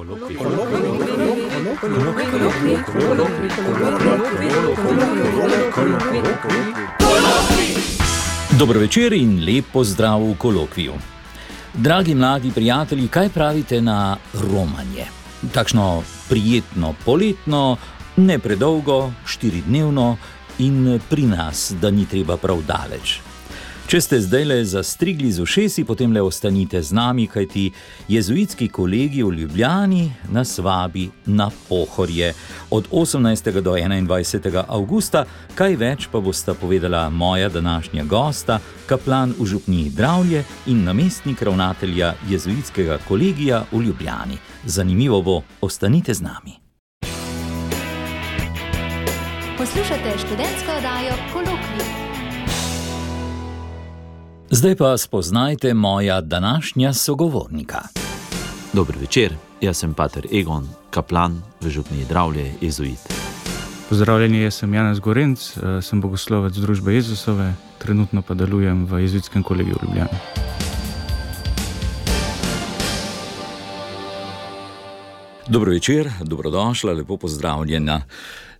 Dobro večer in lep pozdrav v kolokviju. Dragi mladi prijatelji, kaj pravite na romanje? Takšno prijetno poletno, ne predolgo, 4-dnevno in pri nas, da ni treba prav daleč. Če ste zdajle zastrigli z ušesi, potem le ostanite z nami, kajti jezuitski kolegij v Ljubljani nas vabi na Pohorje od 18. do 21. avgusta. Kaj več pa bosta povedala moja današnja gosta, kaplan v župniji Dravlje in namestnik ravnatelja jezuitskega kolegija v Ljubljani. Zanimivo bo, ostanite z nami. Poslušate študentsko oddajo Kolokvij. Zdaj pa spoznajte moja današnja sogovornika. Dober večer, jaz sem pater Egon, kaplan v župniji Dravlje, jezuit. Pozdravljeni, jaz sem Janez Gorenc, sem bogoslovec družbe Jezusove, trenutno pa delujem v jezuitskem kolegiju v Ljubljani. Dobro večer, dobrodošla, lepo pozdravljena.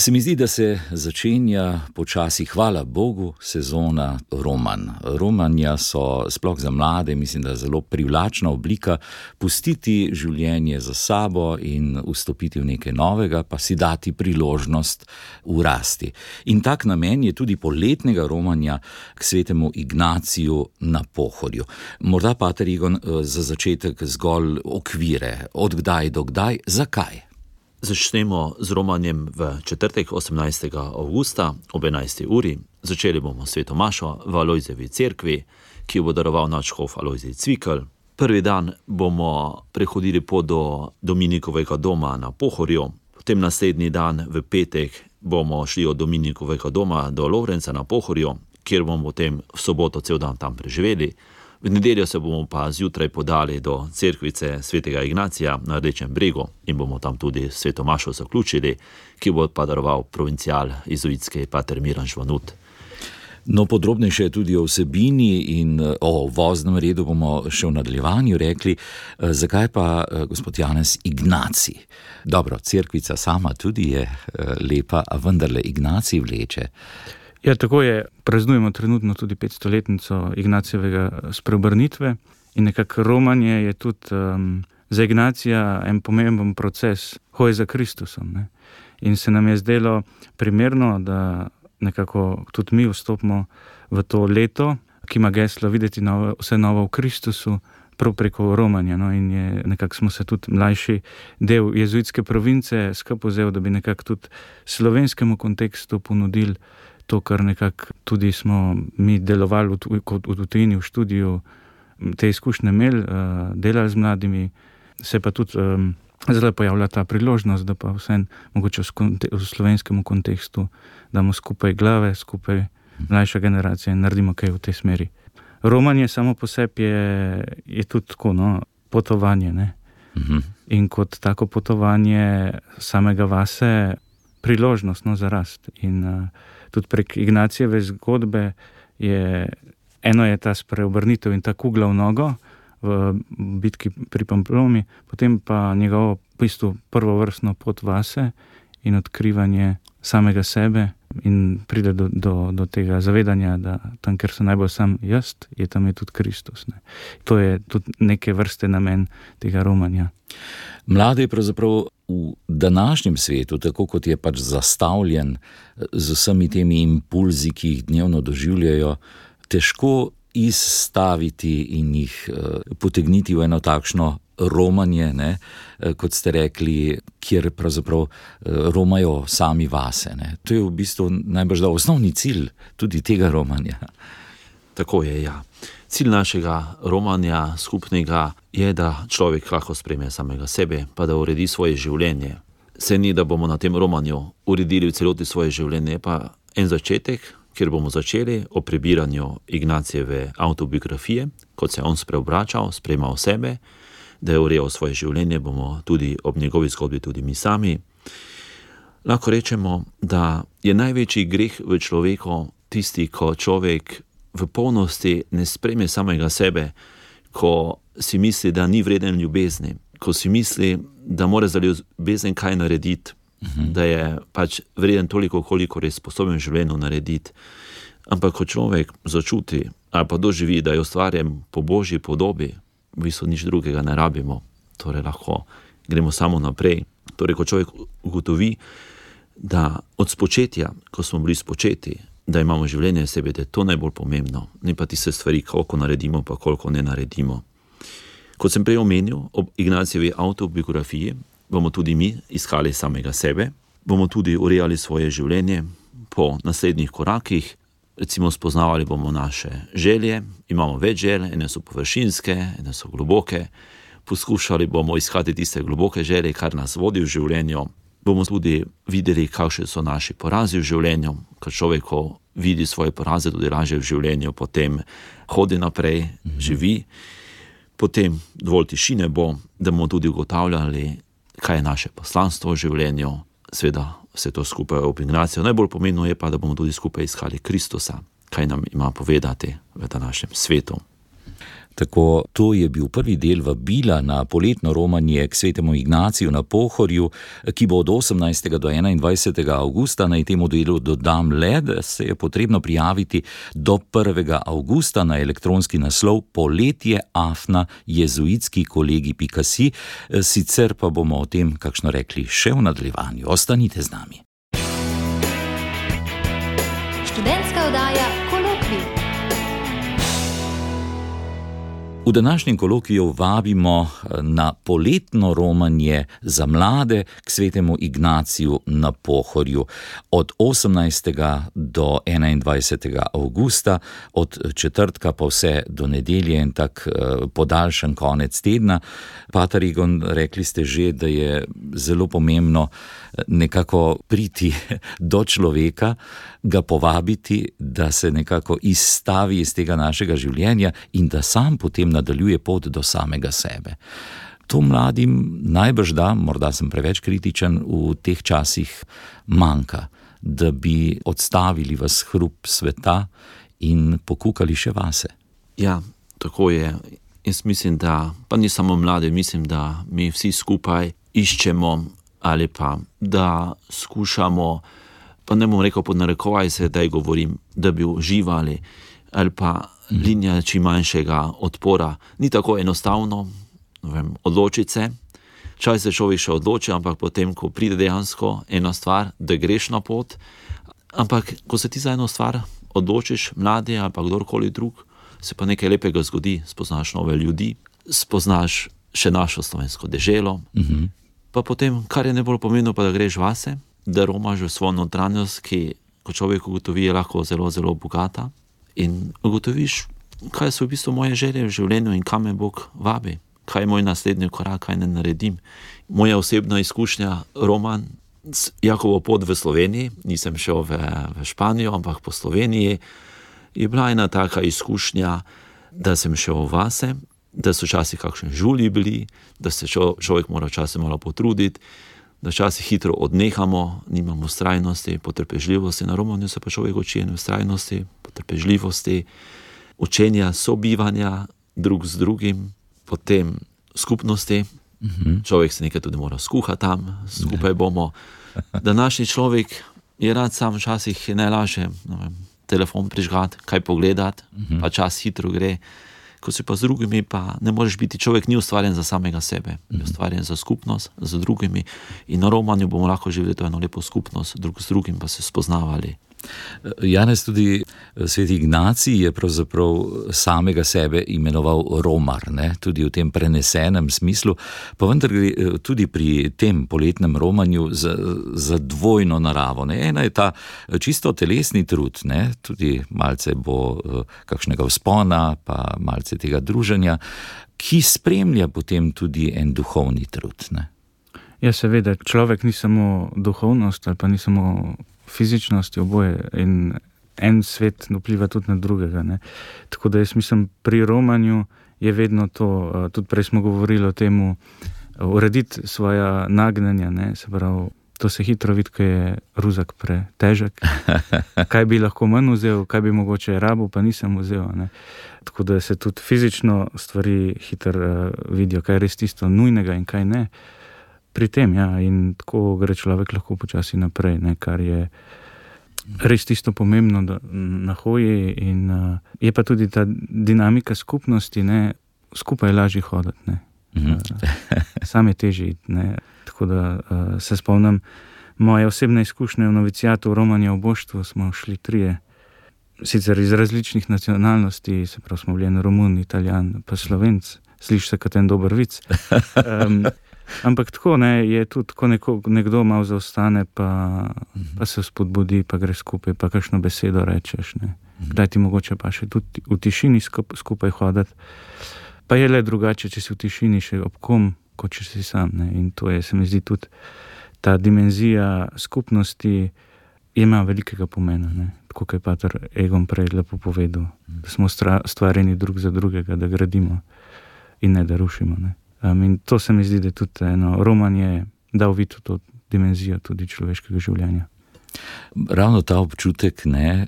Se mi zdi, da se začenja počasi, hvala Bogu, sezona romanj. Romanja so sploh za mlade, mislim, da zelo privlačna oblika pustiti življenje za sabo in vstopiti v nekaj novega, pa si dati priložnost urasti. In tak namen je tudi poletnega romanja k svetemu Ignaciju na Pohorju. Morda, pater Egon, za začetek zgolj okvire. Od kdaj do kdaj, zakaj? Začnemo z romanjem v četrtek 18. avgusta ob 11. uri. Začeli bomo sveto mašo v Alojzejevi cerkvi, ki jo bo daroval nadškof Alojzej Cvikl. Prvi dan bomo prehodili pot do Dominikovega doma na Pohorju. Potem naslednji dan v petek bomo šli od Dominikovega doma do Lovrenca na Pohorju, kjer bomo potem v soboto cel dan tam preživeli. V nedeljo se bomo pa zjutraj podali do cerkvice svetega Ignacija na Rdečem bregu in bomo tam tudi sveto mašo zaključili, ki bo pa daroval provincial jezuitski pater Miran Žvanut. No, podrobnejše tudi o vsebini in o voznem redu bomo še v nadaljevanju rekli. Zakaj pa, gospod Janez, Ignacij? Dobro, cerkvica sama tudi je lepa, a vendarle Ignacij vleče. Ja, tako je. Praznujemo trenutno tudi 500-letnico Ignacijevega spreobrnitve in nekako romanje je tudi za Ignacija en pomemben proces hoje za Kristusom. Ne? In se nam je zdelo primerno, da nekako tudi mi vstopimo v to leto, ki ima geslo videti vse novo v Kristusu, prav preko romanja. No? In nekako smo se tudi mlajši del jezuitske province skupaj vzel, da bi nekako tudi slovenskemu kontekstu ponudili to, kar nekako tudi smo mi delovali v tujini, v študiju, te izkušnje imeli, delali z mladimi, se pa tudi zelo pojavlja ta priložnost, da pa vsem mogoče v slovenskem kontekstu damo skupaj glave, skupaj mlajša generacija in naredimo kaj v tej smeri. Romanje samo po sebi je tudi tako, no, potovanje, ne? In kot tako potovanje samega vase priložnost, no, za rast. In tudi prek Ignacijeve zgodbe eno je ta spreobrnitev in ta kugla v nogo v bitki pri Pamplomi, potem pa njegovo v bistvu prvovrstno pot vase in odkrivanje samega sebe in pride do tega zavedanja, da tam, kjer sem najbolj sam jaz, tam je tudi Kristus. Ne. To je tudi neke vrste namen tega romanja. Mlade je pravzaprav v današnjem svetu, tako kot je pač zastavljen z vsemi temi impulzi, ki jih dnevno doživljajo, težko izstaviti in jih potegniti v eno takšno romanje, ne, kot ste rekli, kjer pravzaprav romajo sami vase. Ne. To je v bistvu najbrž osnovni cilj tudi tega romanja. Tako je, ja. Cilj našega romanja skupnega je, da človek lahko sprejme samega sebe, pa da uredi svoje življenje. Se ni, da bomo na tem romanju uredili v celoti svoje življenje, pa en začetek, kjer bomo začeli o prebiranju Ignacijeve autobiografije, kot se on spreobračal, sprejemal sebe, da je urejal svoje življenje, bomo tudi ob njegovi zgodbi tudi mi sami. Lahko rečemo, da je največji greh v človeku tisti, ko človek v polnosti ne sprejme samega sebe, ko si misli, da ni vreden ljubezni, ko si misli, da mora za ljubezen kaj narediti, da je pač vreden toliko, koliko je sposoben v življenju narediti. Ampak ko človek začuti ali pa doživi, da je ustvarjen po Božji podobi, v bistvu nič drugega ne rabimo, torej lahko gremo samo naprej. Torej, ko človek ugotovi, da od spočetja, ko smo bili spočeti, da imamo življenje v sebi, da je to najbolj pomembno, ne pa tiste stvari, koliko naredimo, pa koliko ne naredimo. Kot sem prej omenil, ob Ignatijevi autobiografiji bomo tudi mi iskali samega sebe, bomo tudi urejali svoje življenje po naslednjih korakih, recimo spoznavali bomo naše želje, imamo več želje, ene so površinske, ene so globoke, poskušali bomo iskati tiste globoke želje, kar nas vodi v življenju, bomo tudi videli, kakšni so naši porazi v življenju, ker človek, ko vidi svoje poraze, tudi lažje v življenju, potem hodi naprej, živi, potem dovolj tišine bo, da bomo tudi ugotavljali, kaj je naše poslanstvo v življenju, seveda vse to skupaj ob Ignaciju. Najbolj pomembno je pa, da bomo tudi skupaj iskali Kristusa, kaj nam ima povedati v današnjem svetu. Tako, to je bil prvi del vabila na poletno romanje k svetemu Ignaciju na Pohorju, ki bo od 18. do 21. avgusta. Naj temu delu dodam le, da se je potrebno prijaviti do 1. avgusta na elektronski naslov poletje@jezuitskikolegi.si. Sicer pa bomo o tem, kakšno rekli, še v nadaljevanju. Ostanite z nami. Študentska oddaja Kolokvij. V današnjem kolokviju vabimo na poletno romanje za mlade k svetemu Ignaciju na Pohorju od 18. do 21. avgusta, od četrtka pa vse do nedelje in tak podaljšan konec tedna. Pater Egon, rekli ste že, da je zelo pomembno nekako priti do človeka, ga povabiti, da se nekako izstavi iz tega našega življenja in da sam potem nadaljuje pot do samega sebe. To mladim najbrž da, morda sem preveč kritičen, v teh časih manjka, da bi odstavili vas hrup sveta in pokukali še vase. Ja, tako je. Jaz mislim, da, pa ni samo mlade, mislim, da mi vsi skupaj iščemo ali pa da skušamo, pa ne bom rekel pod narekovaj se, da govorim, da bi uživali ali pa linija čim manjšega odpora. Ni tako enostavno, odločiti se. Čas se človek še odloči, ampak potem, ko pride dejansko ena stvar, da greš na pot, ampak ko se ti za eno stvar odločiš, mladi ali pa kdorkoli drug, se pa nekaj lepega zgodi, spoznaš nove ljudi, spoznaš še našo slovensko deželo, pa potem, kar je najbolj pomembno, pa da greš vase, da romaš v svojo notranjost, ki, ko človek ugotovi, je lahko zelo, zelo bogata in ugotoviš, kaj so v bistvu moje želje v življenju in kam me Bog vabi, kaj je moj naslednji korak, kaj ne naredim. Moja osebna izkušnja, roman, Jakovo pot v Sloveniji, nisem šel v Španijo, ampak po Sloveniji, je bila ena taka izkušnja, da sem šel vase, da so včasih kakšni žulji bili, da se človek mora včasih malo potruditi, da včasih hitro odnehamo, nimamo vztrajnosti, potrpežljivosti. Na romanju se pa človek uči vztrajnosti, potrpežljivosti, učenja sobivanja drug z drugim, potem skupnosti. Človek se nekaj tudi mora skuhati tam, skupaj bomo. Današnji človek je rad sam, včasih je najlažje telefon prižgati, kaj pogledati, pa čas hitro gre. Ko si pa z drugimi, pa ne moreš biti, človek ni ustvarjen za samega sebe, je ustvarjen za skupnost, z drugimi. In na romanju bomo lahko živeli to eno lepo skupnost, drug z drugim pa se spoznavali. Janez, tudi sveti Ignacij je pravzaprav samega sebe imenoval romar, ne? Tudi v tem prenesenem smislu, pa vendar gre tudi pri tem poletnem romanju za dvojno naravo. Ne? Ena je ta čisto telesni trud, ne? Tudi malce bo kakšnega vzpona, pa malce tega druženja, ki spremlja potem tudi en duhovni trud. Ne? Ja, seveda, človek ni samo duhovnost ali pa ni samo fizičnosti, oboje, in en svet vpliva tudi na drugega. Ne. Tako da jaz mislim, pri romanju je vedno to, tudi prej smo govorili o temu, urediti svoja nagnjenja, ne, se pravi, to se hitro vidi, ko je ruzak pretežek, kaj bi lahko manj vzel, kaj bi mogoče rabil, pa nisem vzel. Ne. Tako da se tudi fizično stvari hitro vidijo, kaj je res tisto nujnega in kaj ne. pri tem, ja, in tako gre človek lahko počasi naprej, ne, kar je res tisto pomembno na hoji in je pa tudi ta dinamika skupnosti, ne, skupaj lažje hoditi, ne. Sam je težji, ne. Tako da se spomnim moje osebne izkušnje v novicijatu v Romanje v Boštvu, smo šli 3, sicer iz različnih nacionalnosti, se pravi smo bili Romun, Italijan, pa Slovenc, sliši se kot en dober vic. Ampak tako, ne, je tudi, ko nekdo malo zaostane, pa se spodbudi, pa gre skupaj, pa kakšno besedo rečeš, ne. Kdaj ti mogoče pa še tudi v tišini skupaj hoditi. Pa je le drugače, če si v tišini še ob kom, kot če si sam, ne. In to je, se mi zdi, tudi ta dimenzija skupnosti ima velikega pomena, ne. Tako kot je pater Egon prej lepo povedal, da smo stvarjeni drug za drugega, da gradimo in ne da rušimo, ne. In to se mi zdi, da tudi romanje dal videti to dimenzijo tudi človeškega življenja. Ravno ta občutek, ne,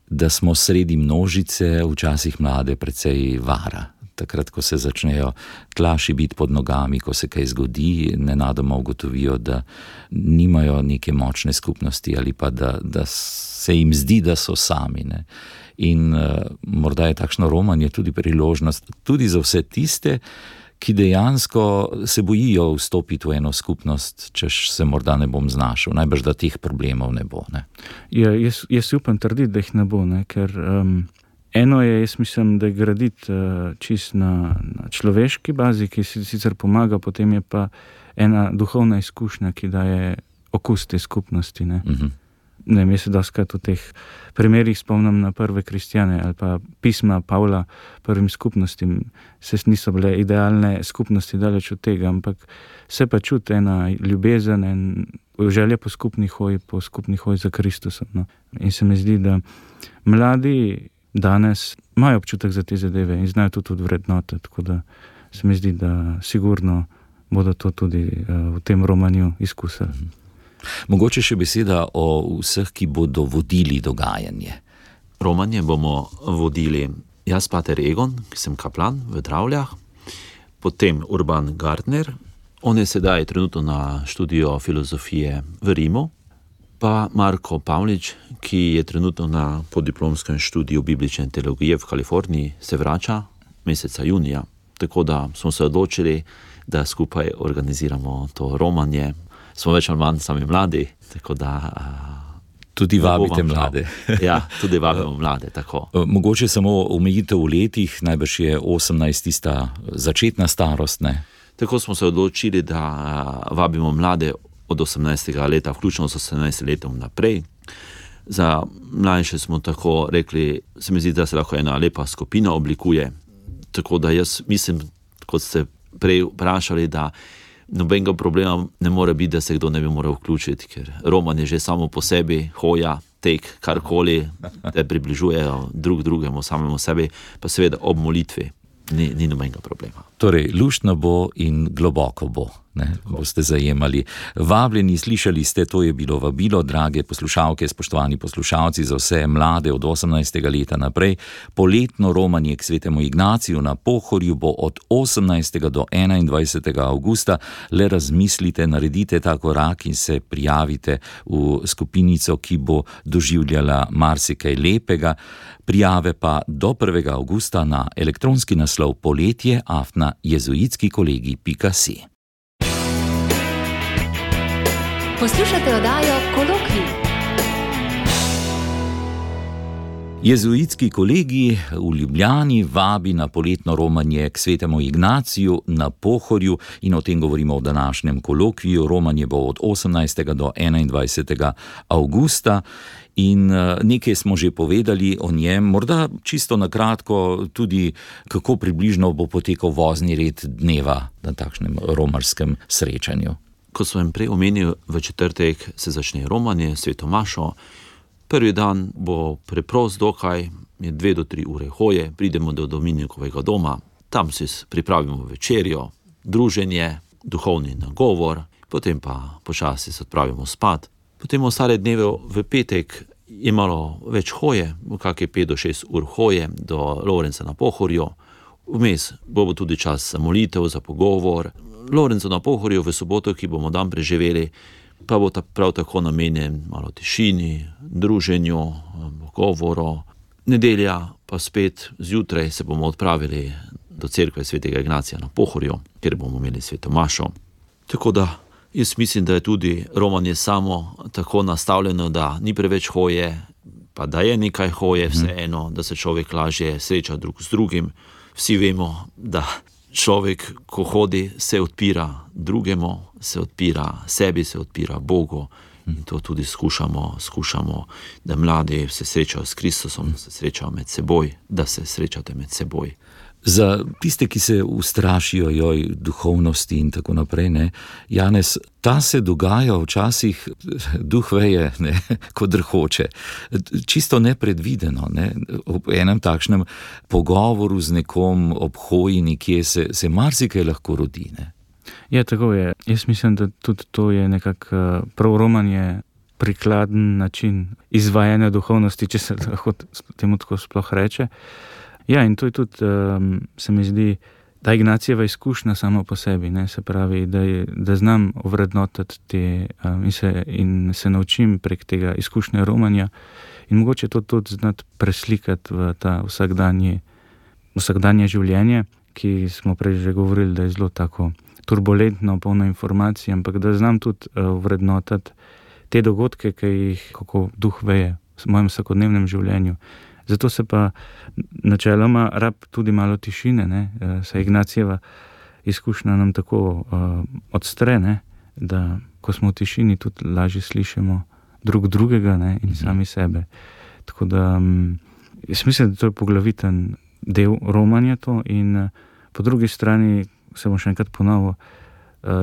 da smo sredi množice, včasih mlade precej vara. Takrat, ko se začnejo tlaši biti pod nogami, ko se kaj zgodi, nenadoma ugotovijo, da nimajo neke močne skupnosti ali pa da se jim zdi, da so sami, ne. In morda je takšno romanje tudi priložnost tudi za vse tiste, ki dejansko se bojijo vstopiti v eno skupnost, češ se morda ne bom znašel, najbrž da teh problemov ne bo, ne. Ja, jaz upam trditi, da jih ne bo, ne, ker eno je, jaz mislim, da je graditi čist na človeški bazi, ki si sicer pomaga, potem je pa ena duhovna izkušnja, ki daje okus te skupnosti, ne. Ne, jaz se doskrat v teh primerih spomnim na prve kristjane ali pa pisma Pavla prvim skupnostim. Se niso bile idealne skupnosti, daleč od tega, ampak se pa čuti ena ljubezen in želja po skupni hoji za Kristusom, no. In se mi zdi, da mladi danes imajo občutek za te zadeve in znajo to tudi vrednotiti, tako da se mi zdi, da sigurno bodo to tudi v tem romanju izkusili. Mogoče še beseda o vseh, ki bodo vodili dogajanje. Romanje bomo vodili jaz, pater Egon, ki sem kaplan v Dravljah, potem Urban Gardner, on je sedaj trenutno na študiju filozofije v Rimu, pa Marko Pavlič, ki je trenutno na podiplomskem študiju biblične teologije v Kaliforniji, se vrača meseca junija. Tako da smo se odločili, da skupaj organiziramo to romanje. Smo več ali manj sami mladi, tako da... Tudi vabite mlade. Ja, tudi vabimo mlade, tako. Mogoče samo omejitev v letih, najbrž je 18 tista začetna starost, ne? Tako smo se odločili, da vabimo mlade od 18. leta, vključno s 18 letom naprej. Za mlajše smo tako rekli, se mi zdi, da se lahko ena lepa skupina oblikuje. Tako da jaz mislim, kot ste prej vprašali, da nobenega problema ne more biti, da se kdo ne bi moral vključiti, ker romanje že samo po sebi, hoja, tek, karkoli, da približujejo drugemu, samemu sebi, pa seveda ob molitvi ni nobenega problema. Torej, luštno bo in globoko bo, ne, boste zajemali. Vabljeni, slišali ste, to je bilo vabilo, drage poslušalke, spoštovani poslušalci, za vse mlade od 18. leta naprej. Poletno romanje k svetemu Ignaciju na Pohorju bo od 18. do 21. avgusta. Le razmislite, naredite ta korak in se prijavite v skupinico, ki bo doživljala marsikaj lepega. Prijave pa do 1. avgusta na elektronski naslov poletje@jezuitskikolegi.si. Poslušate oddajo Kolokvij. Jezuitski kolegi v Ljubljani vabi na poletno romanje k svetemu Ignaciju na Pohorju in o tem govorimo v današnjem kolokviju. Romanje bo od 18. do 21. avgusta. In nekaj smo že povedali o njem, morda čisto na kratko tudi, kako približno bo potekal vozni red dneva na takšnem romarskem srečanju. Kot sem prej omenil, v četrtek se začne romanje, sveto mašo. Prvi dan bo preprost dokaj, je 2 do 3 ure hoje, pridemo do Dominikovega doma, tam si pripravimo večerjo, druženje, duhovni nagovor, potem pa počasi se odpravimo spat. Potem ostale dneve v petek je malo več hoje, kakšne 5 do 6 ur hoje do Lovrenca na Pohorju. Vmes bo tudi čas za molitev, za pogovor. Lorencu na Pohorju v soboto, ki bomo dan preživeli, pa bo prav tako namenjen malo tišini, druženju, govoru. Nedelja pa spet zjutraj se bomo odpravili do cerkve svetega Ignacija na Pohorju, kjer bomo imeli sveto mašo. Tako da jaz mislim, da je tudi romanje samo tako nastavljeno, da ni preveč hoje, pa da je nekaj hoje vseeno, da se človek lažje sreča drug z drugim. Vsi vemo, da človek, ko hodi, se odpira drugemu, se odpira sebi, se odpira Bogu. In to tudi skušamo, da mladi se srečajo s Kristusom, se srečajo med seboj, da se srečate med seboj. Za tiste, ki se ustrašijo duhovnosti in tako naprej, ne, Janez, ta se dogaja včasih, duh veje, ne, kot drhoče. Čisto nepredvideno, ne. Ob enem takšnem pogovoru z nekom, ob hoji nekje se marsikaj lahko rodi, ne. Ja, tako je. Jaz mislim, da tudi to je nekako prav romanje prikladen način izvajanja duhovnosti, če se lahko temu tako sploh reče. Ja, in to je tudi, se mi zdi, ta Ignacijeva izkušnja samo po sebi, ne, se pravi, da znam ovrednotiti te in se naučim prek tega izkušnje romanja in mogoče to tudi znati preslikati v ta vsakdanje življenje, ki smo prej že govorili, da je zelo tako turbulentno, polno informacij, ampak da znam tudi vrednotati te dogodke, ki jih kako duh veje v mojem vsakodnevnem življenju. Zato se pa načeloma rab tudi malo tišine, ne, saj Ignacijeva izkušnja nam tako odstre, ne, da ko smo v tišini, tudi lažje slišimo drug drugega, ne, in sami sebe. Tako da jaz mislim, da to je poglaviten del romanja to in po drugi strani se bom še enkrat ponovil,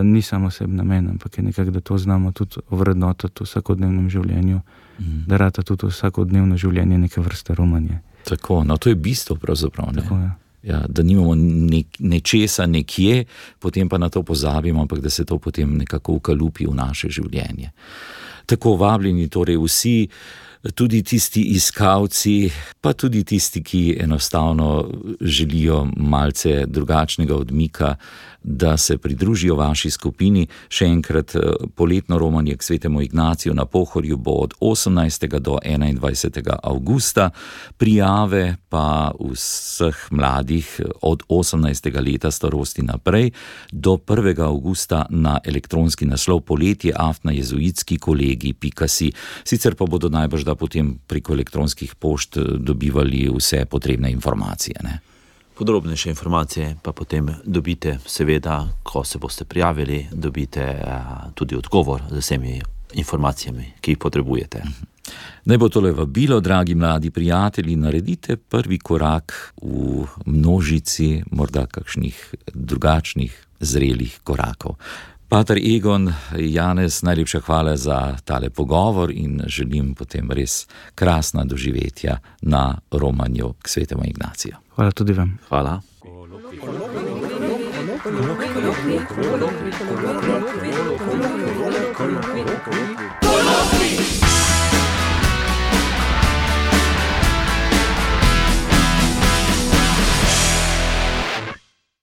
ni samo sebi namen, ampak je nekako, da to znamo tudi ovrednotiti v vsakodnevnem življenju, da rata tudi vsakodnevno življenje neke vrste romanje. Tako, no to je bistvo pravzaprav, ne? Tako, ja. Ja, da nimamo nečesa nekje, potem pa na to pozabimo, ampak da se to potem nekako ukalupi v naše življenje. Tako vabljeni torej vsi, tudi tisti iskalci, pa tudi tisti, ki enostavno želijo malce drugačnega odmika, da se pridružijo vaši skupini. Še enkrat, poletno romanje k svetemu Ignaciju na Pohorju bo od 18. do 21. avgusta. Prijave pa vseh mladih od 18. leta starosti naprej do 1. avgusta na elektronski naslov poletje@jezuitskikolegi.si. Sicer pa bodo najbrž da potem preko elektronskih pošt dobivali vse potrebne informacije, ne? Podrobnejše informacije pa potem dobite, seveda, ko se boste prijavili, dobite tudi odgovor z vsemi informacijami, ki jih potrebujete. Naj bo tole vabilo, dragi mladi prijatelji, naredite prvi korak v množici morda kakšnih drugačnih, zrelih korakov. Pater Egon, Janez, najlepša hvala za tale pogovor in želim potem res krasna doživetja na romanju k svetemu Ignaciju. Hvala tudi vam. Hvala. Kolokvij.